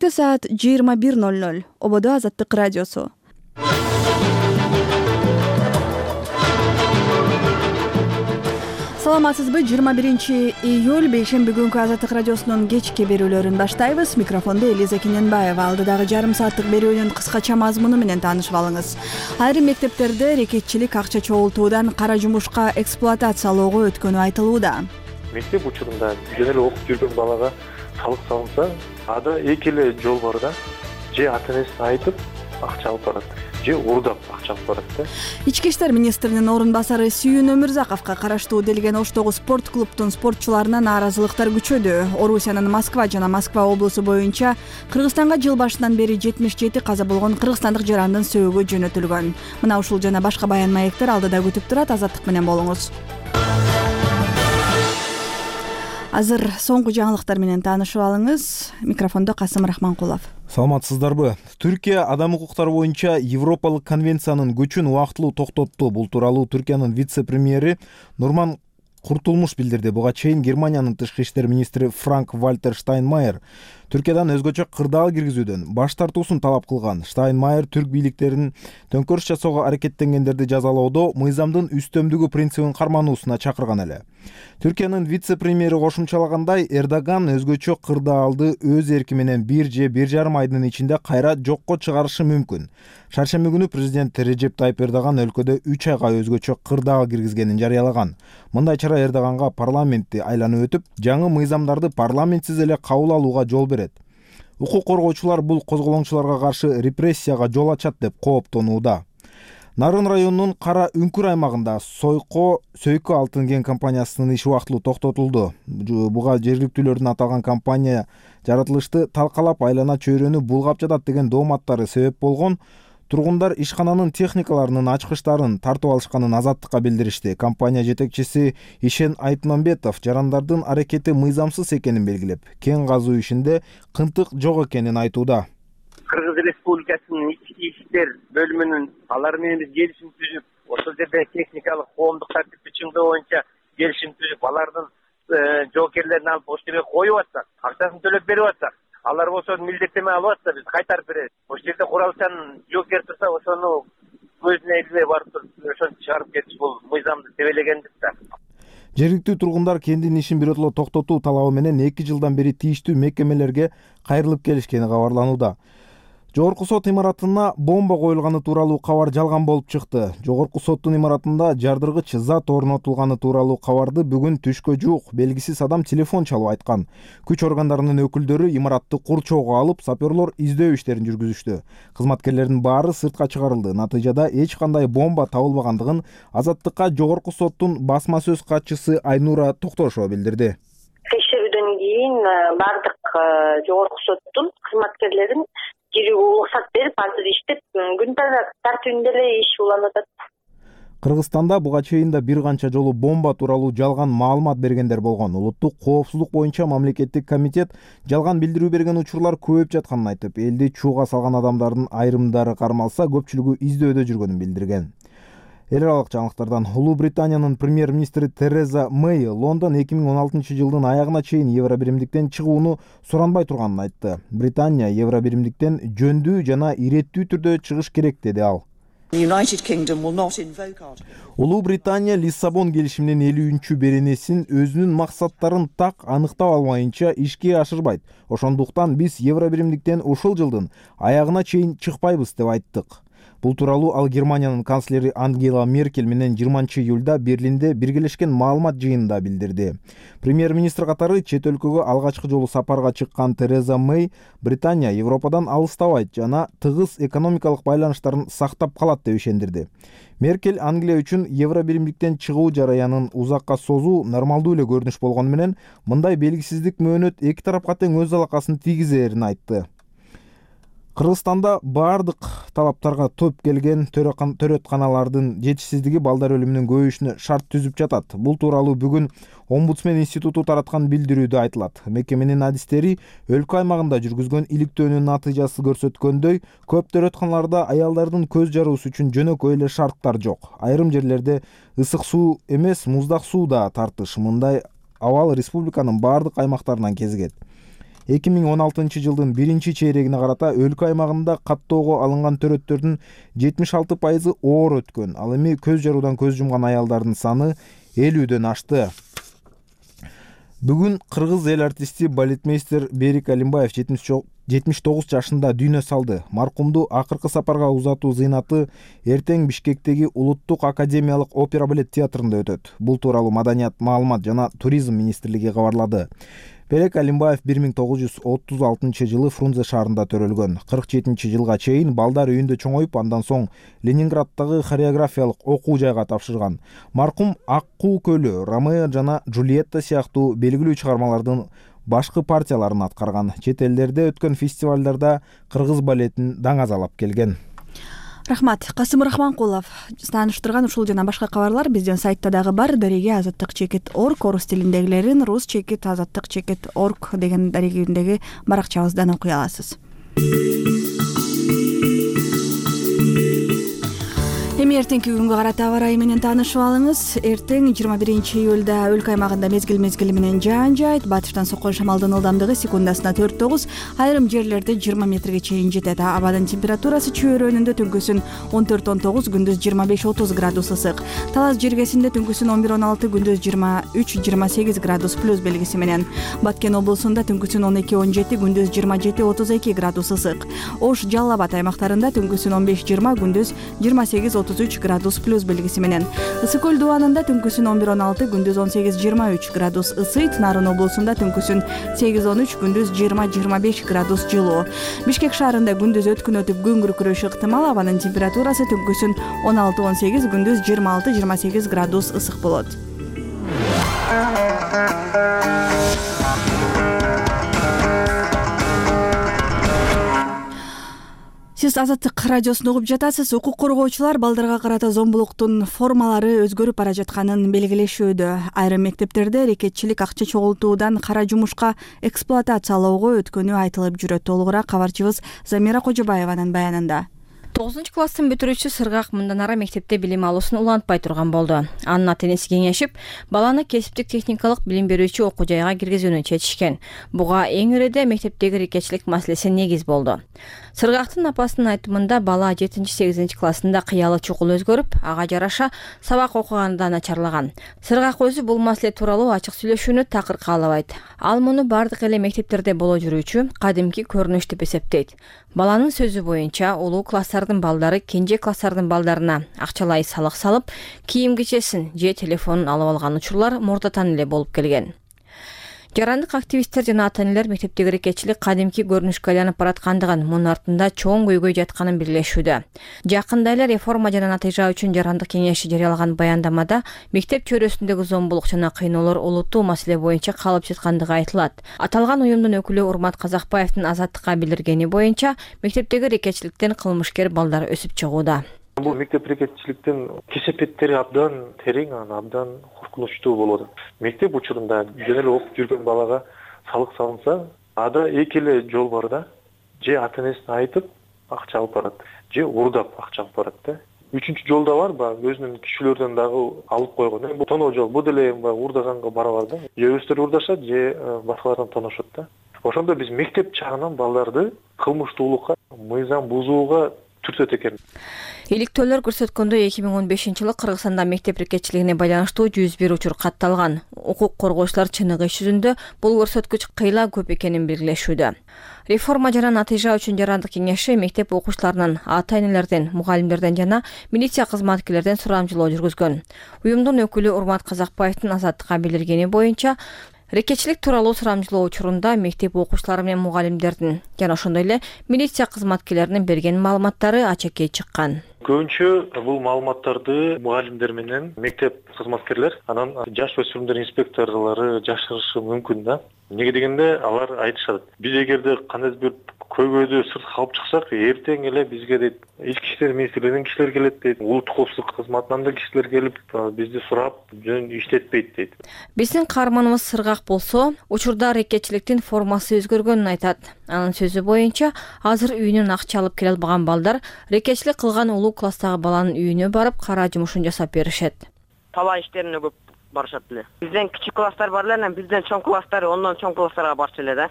Саат 21:00. Ободо Азаттык радиосу. Саламатсызбы? 21-июль бейшемби күнкү Азаттык радиосунун кечки берүүлөрүн баштайбыз. Микрофондо Элиза Кененбаева. Алдыдагы жарым сааттык берүүнүн кыскача мазмуну менен таанышып алыңыз. Айрым мектептерде рекетчилик акча чогултуудан кара жумушка эксплуатациялоого өткөнү айтылууда. Мектеп учурунда жөн эле окуп жүргөн балага салык салынса, ада эки эле жол бар да. Же ата-энесине айтып акча алып барат, же урдап акча алып барат да. Ички иштер министринин орун басары Сүйүн Өмүрзаковго караштуу делген Оштогу спорт клубтун спортчуларына нааразылыктар күчөдү. Орусиянын Москва жана Москва облусу боюнча Кыргызстанга жыл башынан бери 77 каза болгон кыргызстандык жарандын сөөгү жөнөтүлгөн. Мына ушул жана башка баян маектер алдыда күтүп турат. Азаттык менен болуңуз. Азыр соңку жаңылыктар менен таанышып алыңыз. Микрофондо Касым Рахманкулов. Саламатсыздарбы? Түркия адам укуктары боюнча Европалык конвенциянын күчүн убактылуу токтотту. Бул тууралуу Түркиянын вице-премьери Нурман Куртулмуш билдирди. Буга чейин Германиянын тышкы иштер министри Франк Вальтер Штайнмайер Түркиядан өзгөчө кырдаал киргизүүдөн баш тартуусун талап кылган. Штайнмайер түрк бийликтеринин төңкөрүш жасоого аракеттенгендерди жазалоодо мыйзамдын үстөмдүгү принцибин кармануусуна чакырган эле. Түркиянын вице-премьери кошумчалагандай, Эрдоган өзгөчө кырдаалды өз эрки менен 1 же 1,5 айдын ичинде кайра жокко чыгарышы мүмкүн. Шаршемби күнү президент Режеп Тайып Эрдоган өлкөдө 3 айга өзгөчө кырдаал киргизгенин жарыялаган. Мындай чара Эрдоганга парламентти айланып өтүп, жаңы мыйзамдарды парламентсиз эле кабыл алууга жол берет. Укук коргоочулар бул козголоңчуларга каршы репрессияга жол ачат деп кооптонууда. Нарын районунун Кара Үңкүр аймагында Сөйкө алтын кен компаниясынын иши убактылуу токтотулду. Буга жергиликтүүлөрдүн аталган компания жаратылышты талкалап айлана чөйрөнү булгап жатат деген дооматтары себеп болгон. Тургундар ишкананын техникаларынын ачкычтарын тартып алышканын Азаттыкка билдиришти. Компания жетекчиси Ишен Айтмамбетов жарандардын аракети мыйзамсыз экенин белгилеп, кен казуу ишинде кынтык жок экенин айтууда. Кыргыз Республикасынын ички иштер бөлүмүнүн алар менен биз келишим түзүп, ошол жерде техникалык коомдук тартипти чыңдоо боюнча келишим түзүп, алардын жоокерлерин алып ошол жерге коюп атсак, акчасын төлөп берип атсак, алар болсо милдеттеме алып атса биз кайтарып беребиз. Ошол жерде куралчан жоокер турса, ошону көзүнө илбей барып туруп, ошону чыгарып кетиш бул мыйзамды себелегендик да. Жергиликтүү тургундар кендин ишин биротоло токтотуу талабы менен 2 жылдан бери тийиштүү мекемелерге кайрылып келишкени кабарланууда. Жогорку сот имаратына бомба коюлганы тууралуу кабар жалган болуп чыкты. Жогорку соттун имаратында жардыргыч зат орнотулганы тууралуу кабарды бүгүн түшкө жуук белгисиз адам телефон чалып айткан. Күч органдарынын өкүлдөрү имаратты курчоого алып, саперлор издөө иштерин жүргүзүштү. Кызматкерлердин баары сыртка чыгарылды. Натыйжада эч кандай бомба табылбагандыгын Азаттыкка Жогорку соттун басма сөз катчысы Айнура Токтошова билдирди. Текшерүүдөн кийин бардык Жогорку соттун кызматкерлерин кирүүгө уруксат берип, азыр иштеп, күн тартибинде эле иш уланып атат. Кыргызстанда буга чейин да бир канча жолу бомба тууралуу жалган маалымат бергендер болгон. Улуттук коопсуздук боюнча мамлекеттик комитет жалган билдирүү берген учурлар көбөйүп жатканын айтып, элди чууга салган адамдардын айрымдары кармалса, көпчүлүгү издөөдө жүргөнүн билдирген. Эл аралык жаңылыктардан Улуу Британиянын премьер-министри Тереза Мэй Лондон 2016 жылдын аягына чейин Евробиримдиктен чыгууну суранбай турганын айтты. Британия Евробиримдиктен жөндүү жана иреттүү түрдө чыгыш керек деди ал. Улуу Британия Лиссабон келишиминин 50-чү беренесин өзүнүн максаттарын так аныктап алмайынча ишке ашырбайт. Ошондуктан биз Евробиримдиктен ушул жылдын аягына чейин чыкпайбыз деп айттык. Бул тууралуу ал Германиянын канцлери Ангела Меркель менен 20-июлда Берлинде биргелешкен маалымат жыйынында билдирди. Премьер-министр катары чет өлкөгө алгачкы жолу сапарга чыккан Тереза Мэй Британия Европадан алыстабайт жана тыгыз экономикалык байланыштарын сактап калат деп ишендирди. Меркель Англия үчүн Евробиримдиктен чыгуу жараянын узакка созуу нормалдуу эле көрүнүш болгону менен мындай белгисиздик мөөнөт эки тарапка тең өз алакасын тийгизерин айтты. Кыргызстанда бардык талаптарга топ келген төрөтканалардын жетишсиздиги балдар өлүмүнүн көбөйүшүнө шарт түзүп жатат. Бул тууралуу бүгүн Омбудсмен институту тараткан билдирүүдө айтылат. Мекеменин адистери өлкө аймагында жүргүзгөн иликтөөнүн натыйжасы көрсөткөндөй, көп төрөтканаларда аялдардын көз жаруусу үчүн жөнөкөй эле шарттар жок. Айрым жерлерде ысык суу эмес, муздак суу да тартыш. Мындай абал республиканын бардык аймактарынан кезигет. 2016-жылдын 1-чейрегине карата өлкө аймагында каттоого алынган төрөттөрдүн 76% оор өткөн. Ал эми көз жаруудан көз жумган аялдардын саны 50дөн ашты. Бүгүн кыргыз эл артисти балетмейстер Берик Алимбаев 79 жашында дүйнө салды. Маркумду акыркы сапарга узатуу зыйнаты эртең Бишкектеги Улуттук академиялык опера балет театрында өтөт. Бул тууралуу Маданият, маалымат жана туризм министрлиги кабарлады. Берик Алимбаев 1936-жылы Фрунзе шаарында төрөлгөн. 47-жылга чейин балдар үйүндө чоңоюп, андан соң Ленинграддагы хореографиялык окуу жайга тапшырган. Маркум Аккуу көлү, Ромео жана Джульетта сыяктуу белгилүү чыгармалардын башкы партияларын аткарган. Чет элдерде өткөн фестивалдарда кыргыз балетин даңазалап келген. Рахмат. Касым Рахманкулов тааныштырган ушул жана башка кабарлар биздин сайтта дагы бар. Дареге @azattik.org, орус тилиндегилерин rus@azattik.org деген дарегиндеги баракчабыздан окуй аласыз. Эми эртеңки күнгө карата аба ырайы менен таанышып алыңыз. Эртең 21-июлда өлкө аймагында мезгил менен жаан жаайт. Батыштан соккон шамалдын ылдамдыгы секундасына 4-9, айрым жерлерде 20 метрге чейин жетет. Абанын температурасы чөйрөнүндө түнкүсүн 14-19, күндүз 25-30 градус ысык. Талас жергесинде түнкүсүн 11-16, күндүз 23-28 градус плюс белгиси менен. Баткен облусунда түнкүсүн 12-17, күндүз 27-32 градус ысык. Ош, Жалал Абад аймактарында түнкүсүн 15-20, күндүз 28-33 градус плюс белгиси менен. Ысык көл дубанында түнкүсүн 11-16, күндүз 18-23 градус ысыйт. Нарын облусунда түнкүсүн 8-13, күндүз 20-25 градус жылуу. Бишкек шаарында күндүз өткүн өтүп күн күркүрөшү ыктымал. Абанын температурасы түнкүсүн 16-18, күндүз 26-28 градус ысык болот. Сиз Азаттык радиосун угуп жатасыз. Укук коргоочулар балдарга карата зомбулуктун формалары өзгөрүп бара жатканын белгилешүүдө. Айрым мектептерде рекетчилик акча чогултуудан кара жумушка эксплуатациялоого өткөнү айтылып жүрөт. Толугураак кабарчыбыз Замира Кожобаеванын баянында. 9-класстын бүтүрүүчүсү Сыргак мындан ары мектепте билим алуусун улантпай турган болду. Анын ата-энеси кеңешип, баланы кесиптик техникалык билим берүүчү окуу жайга киргизүүнү чечишкен. Буга эң иреде мектептеги рекетчилик маселеси негиз болду. Сыргактын апасынын айтымында бала 7-8 классында кыялы чукул өзгөрүп, ага жараша сабак окуганда начарлаган. Сыргак өзү бул маселе тууралуу ачык сүйлөшүүнү такыр каалабайт. Ал муну бардык эле мектептерде боло жүрүүчү кадимки көрүнүш деп эсептейт. Баланын сөзү боюнча, улуу класстардын балдары кенже класстардын балдарына акчалай салык салып, кийим кичесин же телефонун алып алган учурлар мурдатан эле болуп келген. Жарандык активисттер жана ата-энелер мектептеги рекетчилик кадимки көрүнүшкө айланып бараткандыгын, мунун артында чоң көйгөй жатканын белгилешүүдө. Жакында эле реформа жана натыйжа үчүн жарандык кеңеши жарыялаган баяндамада мектеп чөйрөсүндөгү зомбулук жана кыйноолор олуттуу маселе боюнча калып жаткандыгы айтылат. Аталган уюмдун өкүлү Урмат Казакбаевдин Азаттыкка билдиргени боюнча, мектептеги рекетчиликтен кылмышкер балдар өсүп чыгууда. Бул мектеп рекетчиликтин кесепеттери абдан терең, абдан коркунучтуу болот. Мектеп учурунда жөн эле окуп жүргөн балага салык салынса, ада эки эле жол бар да. Же ата-энесине айтып акча алып барат, же уурдап акча алып барат да. Үчүнчү жол да бар, баягы өзүнүн күчүлөрдөн дагы алып койгон. Бул тоноо жол, бул деле уурдаганга барабар да. Же өздөрү уурдашат, же башкалардан тоношот да. Ошондо биз мектеп чагынан балдарды кылмыштуулукка, мыйзам бузууга түртөт экен. Иликтөөлөр көрсөткөндөй 2015-жылы Кыргызстанда мектеп рекетчилигине байланыштуу 101 учур катталган. Укук коргоочулар чыныгы иш жүзүндө бул көрсөткүч кыйла көп экенин белгилешүүдө. Реформа жана натыйжа үчүн жарандык кеңеши мектеп окуучуларынын, ата-энелерден, мугалимдерден жана милиция кызматкерлерден сурамжылоо жүргүзгөн. Уюмдун өкүлү Урмат Казакбаевдин Азаттыкка билдиргени боюнча, рекетчилик тууралуу сурамжылоо учурунда мектеп окуучулары менен мугалимдердин жана ошондой эле милиция кызматкерлеринин берген маалыматтары ачыкке чыккан. Көбүнчө бул маалыматтарды мугалимдер менен мектеп кызматкерлер, анан жаш өспүрүмдөр инспекторлору жашырышы мүмкүн да. Неге дегенде алар айтышат. Биз эгерде кандайдыр бир көйгөйдү сыртка алып чыксак, эртең эле бизге дейт, ички иштер министрлигинин кишилери келет дейт, улуттук коопсуздук кызматынан да кишилер келип, бизди сурап, жөн иштетпейт дейт. Биздин каарманыбыз Сыргак болсо, учурда рекетчиликтин формасы өзгөргөнүн айтат. Анын сөзү боюнча, азыр үйүнөн акча алып келе албаган балдар рекетчилик кылган улуу класстагы баланын үйүнө барып, кара жумушун жасап беришет. Талай иштерине көп барышат эле. Бизден кичик класстар бар эле, бизден чоң класстар, ондон чоң класстарга барчу эле да.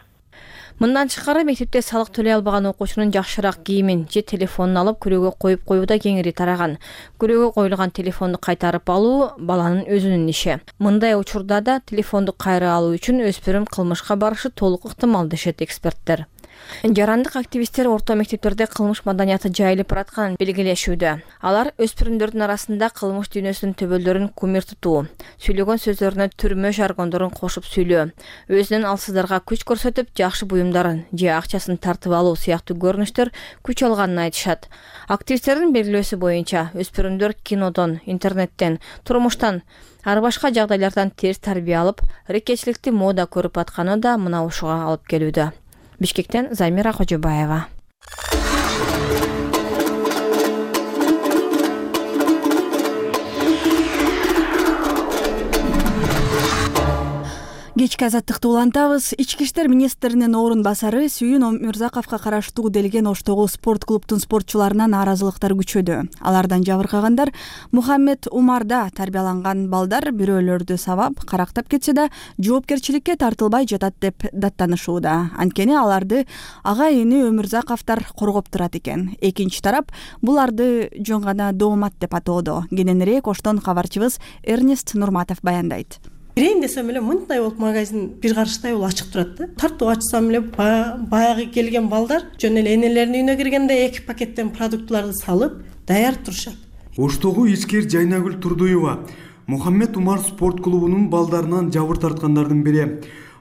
Мындан тышкары мектепте салык төлөй албаган окуучунун жакшыраак кийимин же телефонун алып күрөөгө коюп коюу да кеңири тараган. Күрөөгө коюлган телефонду кайтарып алуу баланын өзүнүн иши. Мындай учурда да телефонду кайра алуу үчүн өспүрүм кылмышка барышы толук ыктымал дешет эксперттер. Жарандык активисттер орто мектептерде кылмыш маданияты жайылып баратканын белгилешүүдө. Алар өспүрүмдөрдүн арасында кылмыш дүйнөсүнүн төбөлдөрүн кумир тутуу, сүйлөгөн сөздөрүнө түрмө жаргондорун кошуп сүйлөө, өзүнүн алсыздарга күч көрсөтүп жакшы буюмдарын же акчасын тартып алуу сыяктуу көрүнүштөр күч алганын айтышат. Активисттердин белгилөөсү боюнча өспүрүмдөр кинодон, интернеттен, турмуштан ар башка жагдайлардан терс тарбия алып, рекетчиликти мода көрүп атканы да мына ушуга алып келүүдө. Бишкектен Замира Кожобаева. Кечки азаттыкты улантабыз. Ички иштер министринин орун басары Сүйүн Өмүрзаковго караштуу Делген Оштогу спорт клубтун спортчуларына нааразылыктар күчөдү. Алардан жабыркагандар Мухаммед Умарда тарбияланган балдар бирөөлөрдү сабап, карактап кетсе да жоопкерчиликке тартылбай жатат деп даттанышууда. Анткени аларды ага-ини Өмүрзаковдор коргоп турат экен. Экинчи тарап буларды жөн гана доомат деп атоодо. Кененирээк Оштон кабарчыбыз Эрнест Нурматов баяндайт. Кирейин десем эле мындай болуп магазин бир карыштай болуп ачык турат да. Тартып ачсам эле баягы келген балдар жөн эле энелеринин үйүнө киргенде 2 пакеттен продуктларды салып даяр турушат. Оштогу ичкер Жайнагүл Турдуева Мухаммед Умар спорт клубунун балдарынан жабыр тарткандардын бири.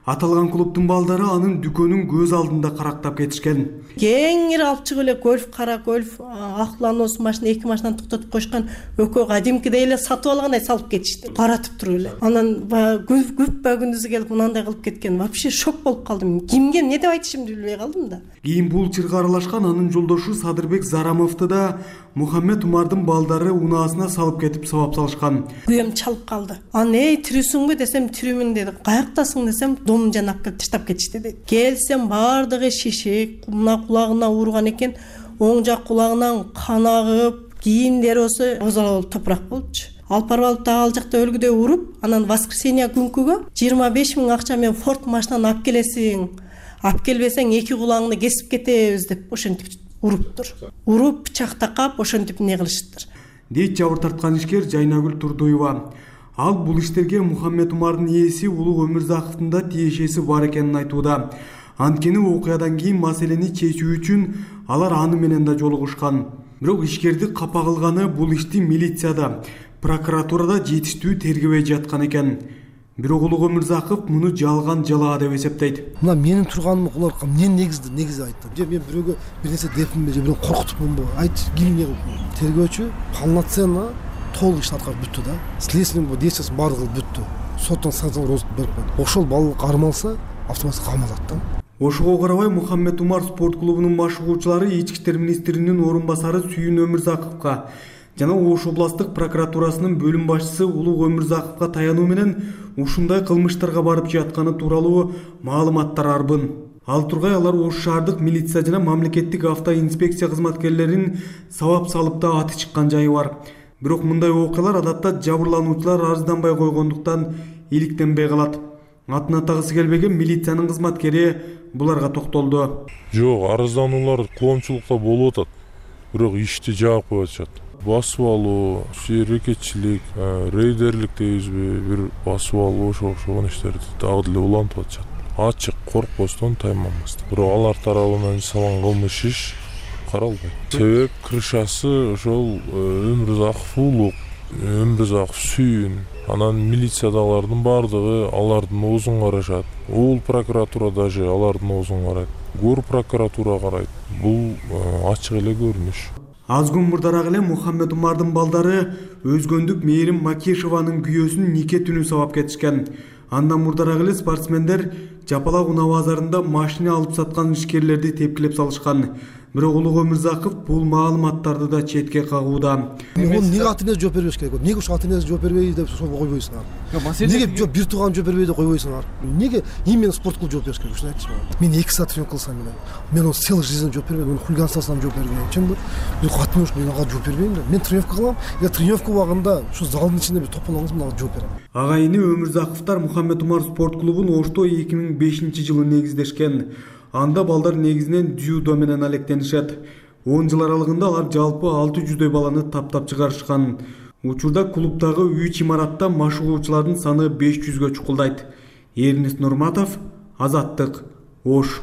Аталган клубтун балдары анын дүкөнүн көз алдында карактап кетишкен. Кеңири алып чыгып эле гольф, кара гольф, Ахланос машина 2 машинаны токтотуп койшкан, экөө кадимкидей эле сатып алгандай салып кетишти. Каратып туруп эле. Анан күп күндүзү келип мынандай кылып кеткен. Вообще шок болуп калдым. Кимге эмне деп айтышымды билбей калдым да. Кийин бул чырга аралашкан анын жолдошу Садырбек Зарамовду да Мухаммед Умардын балдары унаасына салып кетип сабап салышкан. Күйөөм чалып калды. Анан тирүүсүңбү десем тирүүмүн деди. Каяктасың десем домун жанап келип таштап кетишти деди. Келсем бардыгы шишик, мына кулагына урган экен, оң жак кулагынан кан агып, кийимдери осы озала болуп топурак болчу. Алып барып алып да ал жакта өлгүдөй уруп, анан воскресенье күнкүгө 25 000 акча менен Ford машинаны алып келесиң. Алып келбесең 2 кулагыңды кесип кетебиз деп ошентип уруптур. Уруп пычак такап ошентип эмне кылышыптыр. Дейт жабыр тарткан ишкер Жайнагүл Турдуева. Ал бул иштерге Мухаммед Умардын ээси Улуу Өмүрзаковдун да тиешеси бар экенин айтууда. Анткени окуядан кийин маселени чечүү үчүн алар аны менен да жолугушкан. Бирок ишкерди капа кылганы бул ишти милицияда, прокуратурада жетиштүү тергебей жаткан экен. Бирок Улуу Өмүрзаков муну жалган жалаа деп эсептейт. Мына менин турганым улар эмне негизи айтты. Же мен бирөөгө бир нерсе депминби, же бирөө коркутупмунбу? Айт, кимге тергөөчү полноценно толук иш аткарып бүттү да. Следственный действиясы баардыгы бүттү. Соттон санкция берип койду. Ошол балык кармалса, автоматты камалат да. Ошого карабай Мухаммед Умар спорт клубунун машыгуучулары ички иштер министринин орун басары Сүйүн Өмүрзаковго жана Ош областтык прокуратурасынын бөлүм башчысы Улуу Өмүрзаковго таянуу менен ушундай кылмыштарга барып жатканы тууралуу маалыматтар арбын. Ал тургай алар Ош шаардык милиция жана мамлекеттик автоинспекция кызматкерлерин сабап салып да аты чыккан жайы бар. Бирок мындай окуялар адатта жабырлануучулар арызданбай койгондуктан иликтенбей калат. Атын атагысы келбеген милициянын кызматкери буларга токтолду. Жок, арыздануулар коомчулукта болуп атат. Бирок ишти жаап коюп атышат. Басып алуу, рекетчилик, рейдерлик дейбизби, бир басып алуу ошол иштерди дагы деле улантып атышат. Ачык, коркпостон, тайманбастан. Бирок алар тарабынан жасалган кылмыш иш каралбайт. Себеп крышасы ошол Өмүрзаков Улуу, Өмүрзаков Сүйүн, анан милициядагылардын бардыгы алардын оозун карашат. Уул прокуратура даже алардын оозун карайт. Гор прокуратура карайт. Бул ачык эле көрүнүш. Аз күн мурдараак эле Мухаммед Умардын балдары өзгөндүк Мээрим Макешованын күйөөсүн нике түнү сабап кетишкен. Андан мурдараак эле спортсмендер Жапалак унаа базарында машина алып саткан ишкерлерди тепкилеп салышкан. Бирок Улуу Өмүрзаков бул маалыматтарды да четке кагууда. Неге ата-энеси жооп бербеш керек? Неге ошо ата-энеси жооп бербейт деп сурап койбойсуңар? Неге бир тууган жооп бербейт деп койбойсуңар? Неге именно спорт клуб жооп бериш керек? Ушуну айтчы мага. Мен 2 саат тренировка кылсам мен он целый жизнь жооп бербейм, мен хулиганствосам жооп бербейм. Чынбы? Мен катмын ушу, мен ага жооп бербейм да. Мен тренировка кылам, я тренировка убагында ушу залдын ичинде бир топтолсоң мен ага жооп берем. Ага-ини Өмүрзаковдор Мухаммед Умар спорт клубун Ошто 2005-жылы негиздешкен. Анда балдар негизинен дзюдо менен алектенишет. 10 жыл аралыгында алар жалпы 600дөй баланы таптап чыгарышкан. Учурда клубдагы 3 имаратта машыгуучулардын саны 500гө чукулдайт. Эрнест Нурматов, Азаттык, Ош.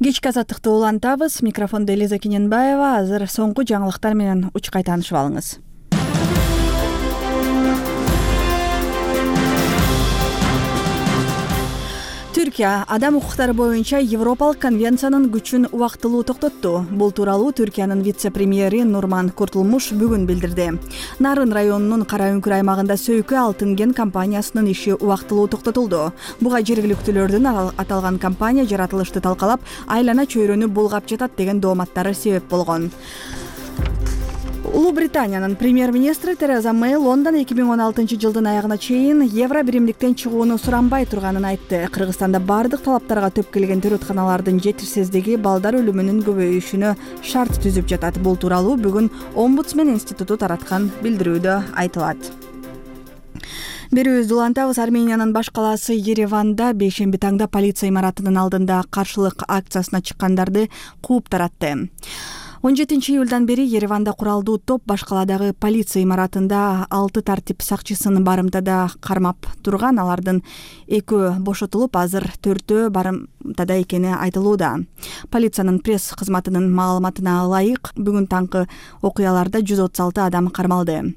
Кечки азаттыкты улантабыз. Микрофондо Элиза Кененбаева. Азыр соңку жаңылыктар менен учкай таанышып алыңыз. Түркия адам укуктары боюнча Европалык конвенциянын күчүн убактылуу токтотту. Бул тууралуу Түркиянын вице-премьери Нурман Куртулмуш бүгүн билдирди. Нарын районунун Кара Үңкүр аймагында Сөйкү Алтын кен компаниясынын иши убактылуу токтотулду. Буга жергиликтүүлөрдүн аталган компания жаратылышты талкалап, айлана чөйрөнү булгап жатат деген дооматтары себеп болгон. Улуу Британиянын премьер-министри Тереза Мэй Лондон 2016 жылдын аягына чейин евро биримдиктен чыгууну суранбай турганын айтты. Кыргызстанда бардык талаптарга төп келген төрөтканалардын жетишсиздиги балдар өлүмүнүн көбөйүшүнө шарт түзүп жатат. Бул тууралуу бүгүн Омбудсмен институту тараткан билдирүүдө айтылат. Берүүбүздү улантабыз. Армениянын баш калаасы Ереванда бейшемби таңда полиция имаратынын алдында каршылык акциясына чыккандарды кууп таратты. 17 июлдан бери Ереванда куралдуу топ баш каладагы полиция имаратында 6 тартип сакчысын барымтада кармап турган. Алардын 2 бошотулуп, азыр 4 барымтада экени айтылууда. Полициянын пресс кызматынын маалыматына ылайык, бүгүн таңкы окуяларда 136 адам кармалды.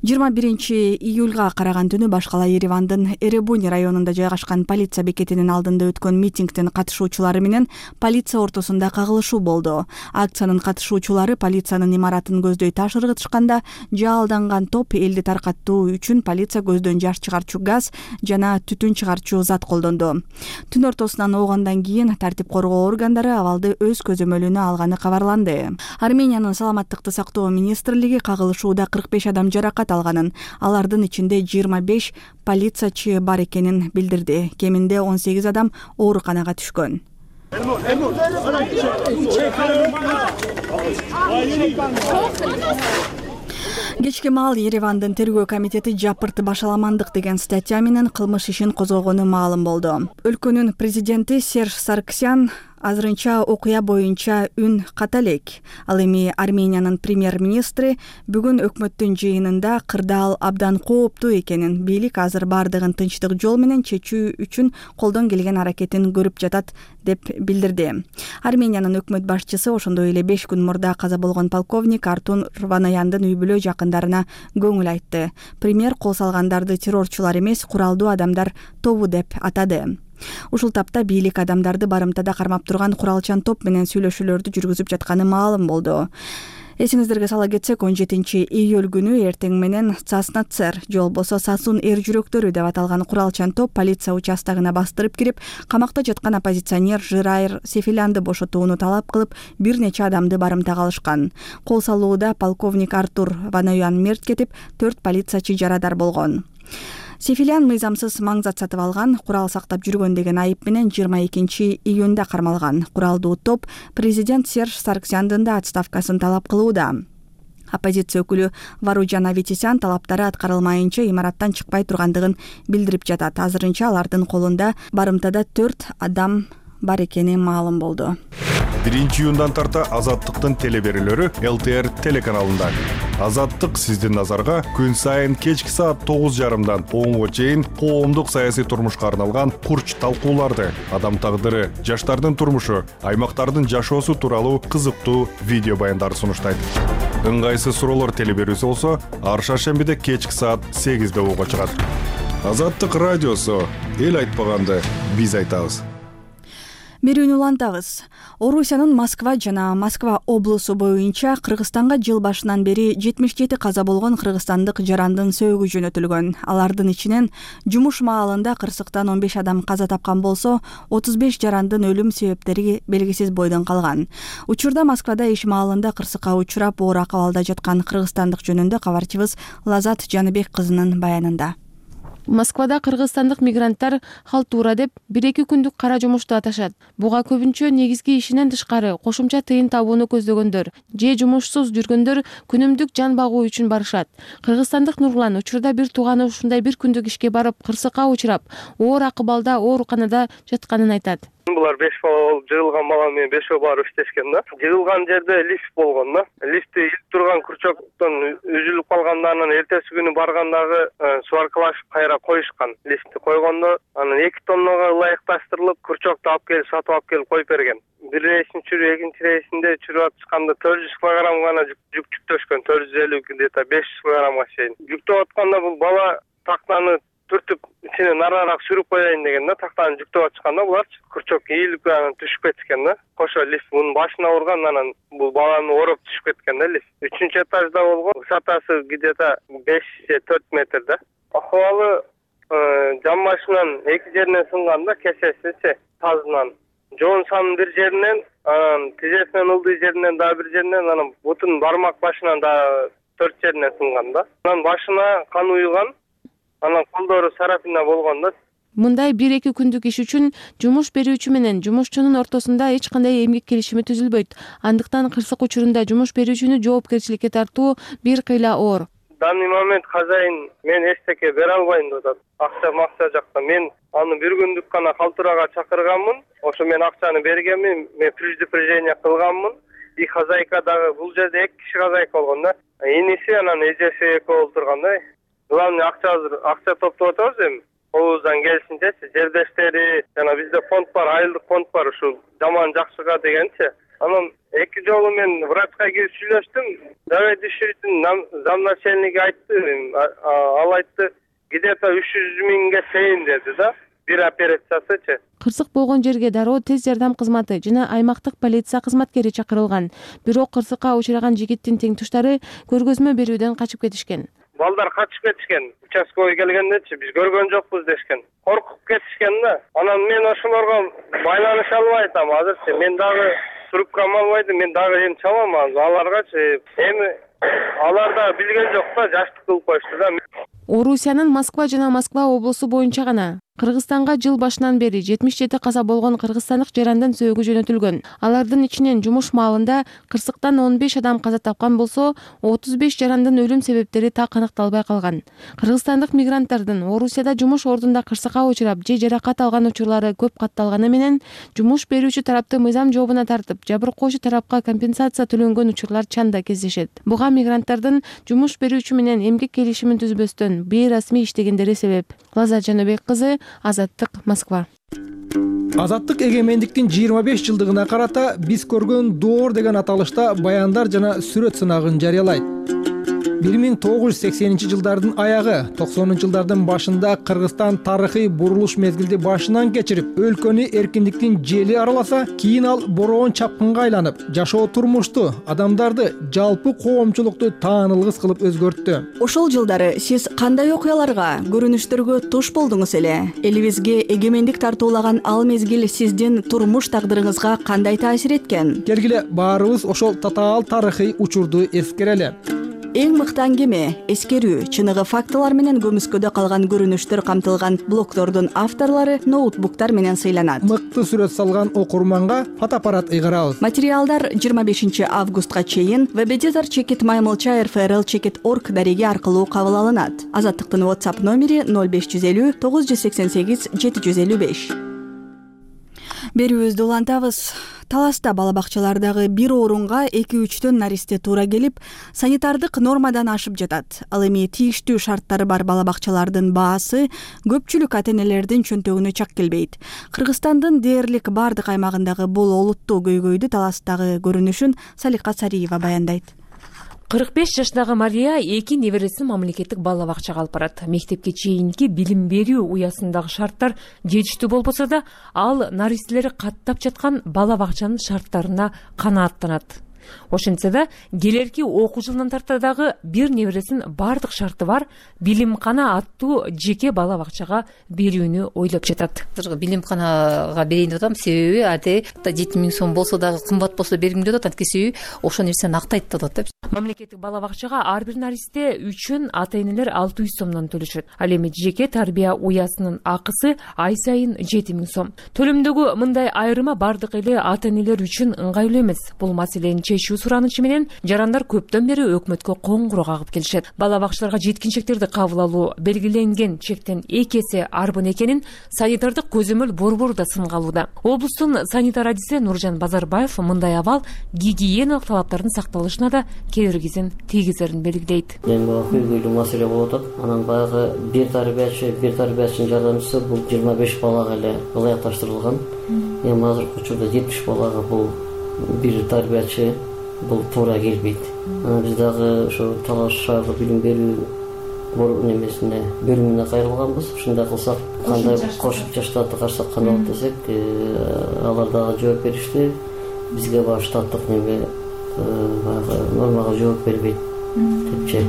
21 июлга караган түнү баш кала Еревандын Эребуни районунда жайгашкан полиция бекетинин алдында өткөн митингдин катышуучулары менен полиция ортосунда кагылышуу болду. Акциянын катышуучулары полициянын имаратын көздөй таш ыргытышканда, жаалданган топ элди таркаттуу үчүн полиция көздөн жаш чыгарчу газ жана түтүн чыгарчу зат колдонду. Түн ортосунан оогондан кийин тартип коргоо органдары абалды өз көзөмөлүнө алганы кабарланды. Армениянын саламаттыкты сактоо министрлиги кагылышууда 45 адам жаракат алганын, алардын ичинде 25 полициячы бар экенин билдирди. Кеминде 18 адам ооруканага түшкөн. Кечки маал Еревандын тергөө комитети жапырты башаламандык деген статья менен кылмыш ишин козгогону маалым болду. Өлкөнүн президенти Серж Сарксян азырынча окуя боюнча үн ката элек. Ал эми Армениянын премьер-министри бүгүн өкмөттүн жыйынында кырдаал абдан кооптуу экенин, бийлик азыр бардыгын тынчтык жол менен чечүү үчүн колдон келген аракетин көрүп жатат деп билдирди. Армениянын өкмөт башчысы ошондой эле 5 күн мурда каза болгон полковник Артур Ванаяндын үй бүлө жакындарына көңүл айтты. Премьер кол салгандарды террорчулар эмес, куралдуу адамдар тобу деп атады. Ушул тапта бийлик адамдарды барымтада кармап турган куралчан топ менен сүйлөшүүлөрдү жүргүзүп жатканы маалым болду. Эсиңиздерге сала кетсек, 17 июль күнү эртең менен Цаснацер, же болбосо Сасун эр жүрөктөрү деп аталган куралчан топ полиция участогуна бастырып кирип, камакта жаткан оппозиционер Жырайыр Сефилянды бошотууну талап кылып, бир нече адамды барымтага алышкан. Кол салууда полковник Артур Ванаян мерт кетип, 4 полициячы жарадар болгон. Сефилян мыйзамсыз маңзат сатып алган, курал сактап жүргөн деген айып менен 22 июнда кармалган. Куралдуу топ президент Серж Сарксяндын да отставкасын талап кылууда. Оппозиция өкүлү Варуджан Аветисян талаптары аткарылмайынча имараттан чыкпай тургандыгын билдирип жатат. Азырынча алардын колунда барымтада 4 адам бар экени маалым болду. 1 июндан тарта Азаттыктын телеберүүлөрү ЛТР телеканалында. Азаттык сиздин назарга күн сайын кечки саат 9:30дан 10:00 чейин коомдук саясий турмушка арналган курч талкууларды, адам тагдыры, жаштардын турмушу, аймактардын жашоосу тууралуу кызыктуу видео баяндарды сунуштайт. Ыңгайсыз суроолор телеберүүсү болсо, ар шаршембиде кечки саат 8:00 угууга чыгат. Азаттык радиосу, эл айтпаганды биз айтабыз. Берүүнү улантабыз. Орусиянын Москва жана Москва облусу боюнча Кыргызстанга жыл башынан бери 77 каза болгон кыргызстандык жарандын сөөгү жөнөтүлгөн. Алардын ичинен жумуш маалында кырсыктан 15 адам каза тапкан болсо, 35 жарандын өлүм себептери белгисиз бойдон калган. Учурда Москвада иш маалында кырсыкка учурап оор акыбалда жаткан кыргызстандык жөнүндө кабарчыбыз Лазат Жаныбек кызынын баянында. Москвада кыргызстандык мигранттар халтура деп 1-2 күндүк кара жумушту аташат. Буга көбүнчө негизги ишинен тышкары кошумча тыйын табууну көздөгөндөр же жумушсуз жүргөндөр күнүмдүк жан багуу үчүн барышат. Кыргызстандык Нурлан учурда бир тууганы ушундай 1 күндүк ишке барып кырсыкка учурап, оор акыбалда ооруканада жатканын айтат. Булар 5 бала болуп, жыгылган бала менен 5 барып иштешкен да. Жыгылган жерде лифт болгон да. Лифти илип турган крючоктон үзүлүп калганда, анан эртеси күнү баргандагы сваркалашып кайра коюшкан. Лифтти койгондо анан 2 тоннага ылайыкташтырылып, крючокту алып келип сатып алып келип коюп берген. Бир рейсин чүрүү, экинчи рейсинде чүрүп атышканда 400 кг гана жүк жүктөшкөн, 450 где-то 500 кг чейин. Жүктөп атканда бул бала тактаны түртүп ичине нараарак сүрүп коеюн деген да, тактаны жүктөп атышканда буларчы крючок ийилип анан түшүп кетишкен да. Кошо лифт мунун башына урган, анан бул баланы ороп түшүп кеткен да лифт. 3-чү этажда болгон, высотасы где-то 5-4 метр да. Акыбалы жамбашынан 2 жеринен сынган да, кесесичи тазынан. Жоон санын бир жеринен, анан тизесинен ылдый жеринен дагы бир жеринен, анан бутун бармак башынан дагы 4 жеринен сынган да. Анан башына кан уйган, анан колдору сарапина болгон да. Мындай 1-2 күндүк иш үчүн жумуш берүүчү менен жумушчунун ортосунда эч кандай эмгек келишими түзүлбөйт. Андыктан кырсык учурунда жумуш берүүчүнү жоопкерчиликке тартуу бир кыйла оор. Данный момент хозяин мен эчтеке бере албайм деп атат. Акча жакта мен аны бир күндүк гана калтырага чакырганмын. Ошо мен акчаны бергенмин, мен предупреждение кылганмын. И хозяйка дагы бул жерде 2 киши хозяйка болгон да. Иниси анан эжеси экөө олтурган да. Главный акча топтоп атабыз эми. Колубуздан келишинчечи, жердештери, жана бизде фонд бар, айылдык фонд бар, ушул жаман жакшыга дегенчи. Анан 2 жолу мен врачка кирип сүйлөштүм. Заведующийдин замначальниги айтты, ал айтты, где-то 300 миңге чейин деди да. Бир операциясычы. Кырсык болгон жерге дароо тез жардам кызматы жана аймактык полиция кызматкери чакырылган. Бирок кырсыкка учураган жигиттин теңтуштары көргөзмө берүүдөн качып кетишкен. Балдар качып кетишкен. Участковый келгендечи биз көргөн жокпуз дешкен. Коркуп кетишкен да. Анан мен ошолорго байланыша албай атам азырчы. Мен дагы трубкам албайды, мен дагы эми чалам аларгачы. Эми алар да билген жок да, жаштык кылып коюшту да. Орусиянын Москва жана Москва облусу боюнча гана Кыргызстанга жыл башынан бери 77 каза болгон кыргызстандык жарандан сөөгү жөнөтүлгөн. Алардын ичинен жумуш маалында кырсыктан 15 адам каза тапкан болсо, 35 жарандын өлүм себептери так аныкталбай калган. Кыргызстандык мигранттардын Орусияда жумуш ордунда кырсыкка учурап же жаракат алган учурлары көп катталганы менен жумуш берүүчү тарапты мыйзам жообуна тартып, жабыркоочу тарапка компенсация төлөнгөн учурлар чанда кездешет. Буга мигранттардын жумуш берүүчү менен эмгек келишимин түзбөстөн бейрасмий иштегендери себеп. Лаза Жаныбек кызы, Азаттык, Москва. Азаттык эгемендиктин 25 жылдыгына карата биз көргөн доор деген аталышта баяндар жана сүрөт сынагын жарыялайт. 1980-жылдардын аягы, 90-жылдардын башында Кыргызстан тарыхый бурулуш мезгилди башынан кечирип, өлкөнү эркиндиктин жели араласа, кийин ал бороон чапкынга айланып, жашоо турмушту, адамдарды, жалпы коомчулукту таанылгыс кылып өзгөрттү. Ошол жылдары сиз кандай окуяларга, көрүнүштөргө туш болдуңуз эле? Элибизге эгемендик тартуулаган ал мезгил сиздин турмуш тагдырыңызга кандай таасир эткен? Келгиле баарыбыз ошол татаал тарыхый учурду эскерели. Эң мыкты аңгеме, эскерүү, чыныгы фактылар менен көмүскөдө калган көрүнүштөр камтылган блогтордун авторлору ноутбуктар менен сыйланат. Мыкты сүрөт салган окурманга фотоаппарат ыйгарабыз. Материалдар 25 августка чейин www.maymolcha.rfrl.org дареги аркылуу кабыл алынат. Азаттыктын WhatsApp номери 0550 988 755. Берүүбүздү улантабыз. Таласта бала бакчалардагы бир орунга 2-3 наристе туура келип, санитардык нормадан ашып жатат. Ал эми тийиштүү шарттары бар бала бакчалардын баасы көпчүлүк ата-энелердин чөнтөгүнө чак келбейт. Кыргызстандын дээрлик бардык аймагындагы бул олуттуу көйгөйдү Таластагы көрүнүшүн Салика Сариева баяндайт. 45 жаштагы Мария 2 небересин мамлекеттик бала бакчага алып барат. Мектепке чейинки билим берүү уясындагы шарттар жетиштүү болбосо да, ал наристелери каттап жаткан бала бакчанын шарттарына канааттанат. Ошентсе да, келерки окуу жылынан тарта дагы бир небересин бардык шарты бар билимкана аттуу жеке бала бакчага берүүнү ойлоп жатат. Билимканага берейин деп атам, себеби 7000 сом болсо дагы кымбат болсо бергим деп атат, анткени ошол нерсени актайт деп атат. Мамлекеттик бала бакчага ар бир наристе үчүн ата-энелер 600 сомдон төлөшөт. Ал эми жеке тарбия уясынын акысы ай сайын 7000 сом. Төлөмдөгү мындай айырма бардык эле ата-энелер үчүн ыңгайлуу эмес. Бул маселени кирмешүү суранычы менен жарандар көптөн бери өкмөткө коңгуроо кагып келишет. Бала бакчаларга жеткинчектерди кабыл алуу белгиленген чектен 2 эсе арбын экенин санитардык көзөмөл борбору да сынга алууда. Облустун санитар адиси Нуржан Базарбаев мындай абал гигиеналык талаптардын сакталышына да кедергисин тийгизерин белгилейт. Көйгөйлүү маселе болуп атат. Анан баягы бир тарбиячынын жардамчысы бул 25 балага эле ылайыкташтырылган. Эми азыркы учурда 70 балага бул бир тарбиячы бул туура келбейт. Анан биз дагы ошо Талаш шаардык билим берүү немесине бөлүмүнө кайрылганбыз. Ушундай кылсак, кандай кошумча штатты карасак кандай болот десек, алар дагы жооп беришти. Бизге баягы штаттык неме баягы нормага жооп бербейт депчи.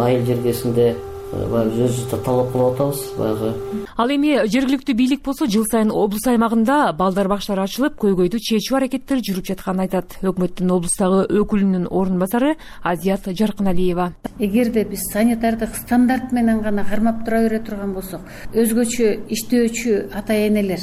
Айыл жергесинде өзүбүз талап кылып атабыз баягы. Ал эми жергиликтүү бийлик болсо жыл сайын облус аймагында балдар бакчалары ачылып, көйгөйдү чечүү аракеттери жүрүп жатканын айтат. Өкмөттүн облустагы өкүлүнүн орун басары Азият Жаркыналиева. Эгерде биз санитардык стандарт менен гана кармап тура бере турган болсок, өзгөчө иштөөчү ата энелер,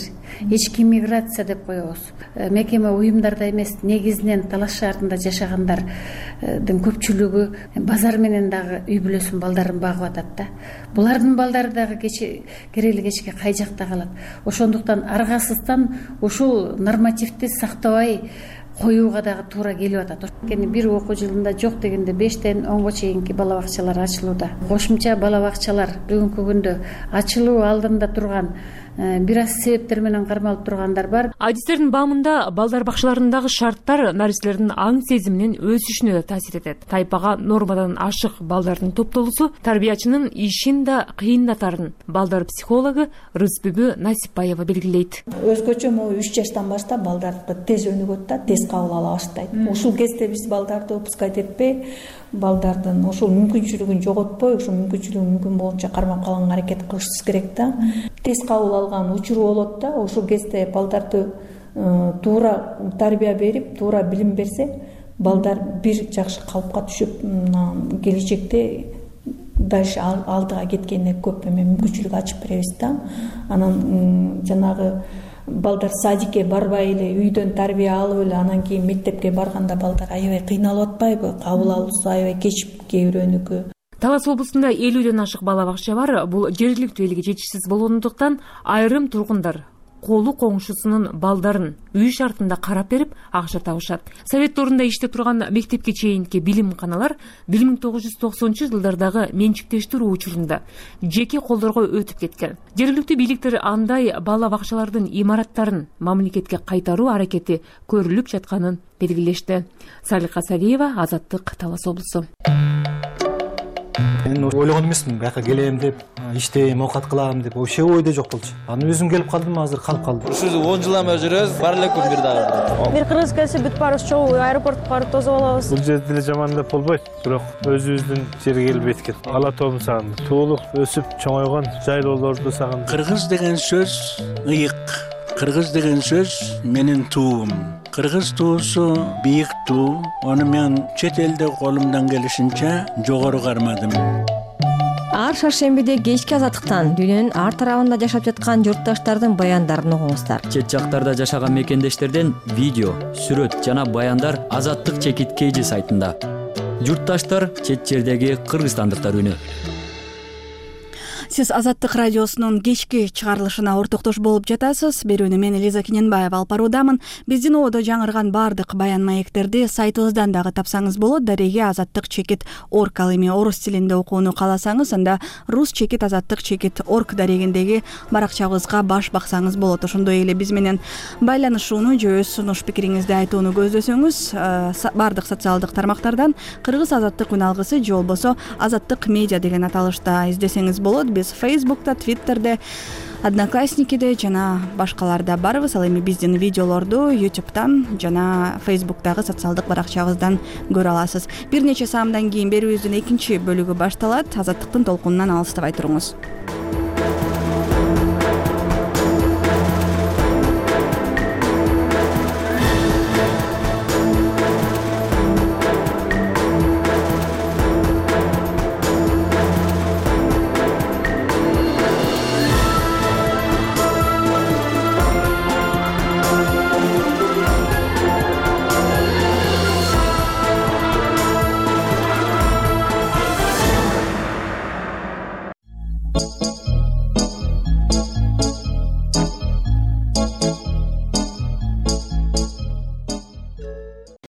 ички миграция деп коебуз. Мекеме уюмдарда эмес, негизинен Талаш шаарында жашагандардын көпчүлүгү базар менен дагы үй бүлөсүнүн балдарын багып атат да. Булардын балдары дагы керели кечке кай жакта калат. Ошондуктан аргасыздан ушул нормативди сактабай коюуга дагы туура келип атат. Бир окуу жылында жок дегенде 5тен 10го чейинки бала бакчалар ачылууда. Кошумча бала бакчалар бүгүнкү күндө ачылуу алдында турган бир аз себептер менен кармалып тургандар бар. Адистердин баамында балдар бакчаларындагы шарттар наристлердин аң сезиминин өсүшүнө да таасир этет. Тайпага нормадан ашык балдардын топтолуусу тарбиячынын ишин да кыйындатарын балдар психологу Рыспүбү Насипбаева белгилейт. Өзгөчө могу 3 жаштан баштап балдарды тез өнүгөт да, тез кабыл ала баштайт. Ушул кезде биз балдарды упускать этпей, балдардын ошол мүмкүнчүлүгүн жоготпой, ошол мүмкүнчүлүгү мүмкүн болунча кармап калганга аракет кылышыбыз керек да. Тез кабыл алган учуру болот да. Ошол кезде балдарды туура тарбия берип, туура билим берсе, балдар бир жакшы калыпка түшүп, келечекте дальше алдыга кеткенине көп мүмкүнчүлүк ачып беребиз да. Анан жанагы балдар садикке барбай эле үйдөн тарбия алып эле анан кийин мектепке барганда балдар аябай кыйналып атпайбы? Кабыл алуусу аябай кечип кээ бирөөнүкү. Талас облусунда 50ден ашык бала бакча бар. Бул жергиликтүү элге жетишсиз болгондуктан айрым тургундар колу коңшусунун балдарын үй шартында карап берип акча табышат. Совет орунда иштеп турган мектепке чейинки билимканалар 1990-жылдардагы менчиктештирүү учурунда жеке колдорго өтүп кеткен. Жергиликтүү бийликтер андай бала бакчалардын имараттарын мамлекетке кайтаруу аракети көрүлүп жатканын белгилешти. Салика Салиева, Азаттык, Талас облусу. Мен ойлогон эмесмин, бияка келем деп, иштейм, оокат кылам деп, вообще ойдо жок болчу. Анан өзүм келип калдым, азыр калып калдым. Ушул 10 жылдан бери жүрөбүз, бар эле күн бир дагы. Бир кыргыз келсе бүт баарыбыз чогуу аэропортко барып тосуп алабыз. Бул жерде деле жамандап болбойт, бирок өзүбүздүн жерге келип эткен. Ала тоомду сагындым. Туулуп, өсүп, чоңойгон жайлоолорду сагындым. Кыргыз деген сөз ыйык. Кыргыз деген сөз менин туум. Кыргыз туусу бийик туу. Аны мен чет элде колумдан келишинче жогору кармадым. Ар шаршембиде кечки Азаттыктан дүйнөнүн ар тарабында жашап жаткан журтташтардын баяндарын угуңуздар. Чет жактарда жашаган мекендештерден видео, сүрөт жана баяндар Азаттык чекит KG сайтында. Журтташтар чет жердеги кыргызстандыктар үнү. Сиз Азаттык радиосунун кечки чыгарылышына ортоктош болуп жатасыз. Берүүнү мен Элиза Кененбаева алып баруудамын. Биздин ободо жаңырган бардык баян маектерди сайтыбыздан дагы тапсаңыз болот. Дареге Азаттык чекит орг. Ал эми орус тилинде окууну кааласаңыз, анда рус чекит азаттык чекит орг дарегиндеги баракчабызга баш баксаңыз болот. Ошондой эле биз менен байланышууну же өз сунуш пикириңизди айтууну көздөсөңүз, бардык социалдык тармактардан Кыргыз Азаттык үн алгысы же болбосо Азаттык медиа деген аталышта издесеңиз болот. Биз Фейсбукта, Твиттерде, Одноклассникиде жана башкаларда барбыз. Ал эми биздин видеолорду YouTube'дан жана Фейсбуктагы социалдык баракчабыздан көрө аласыз. Бир нече саамдан кийин берүүбүздүн экинчи бөлүгү башталат. Азаттыктын толкунунан алыстабай туруңуз.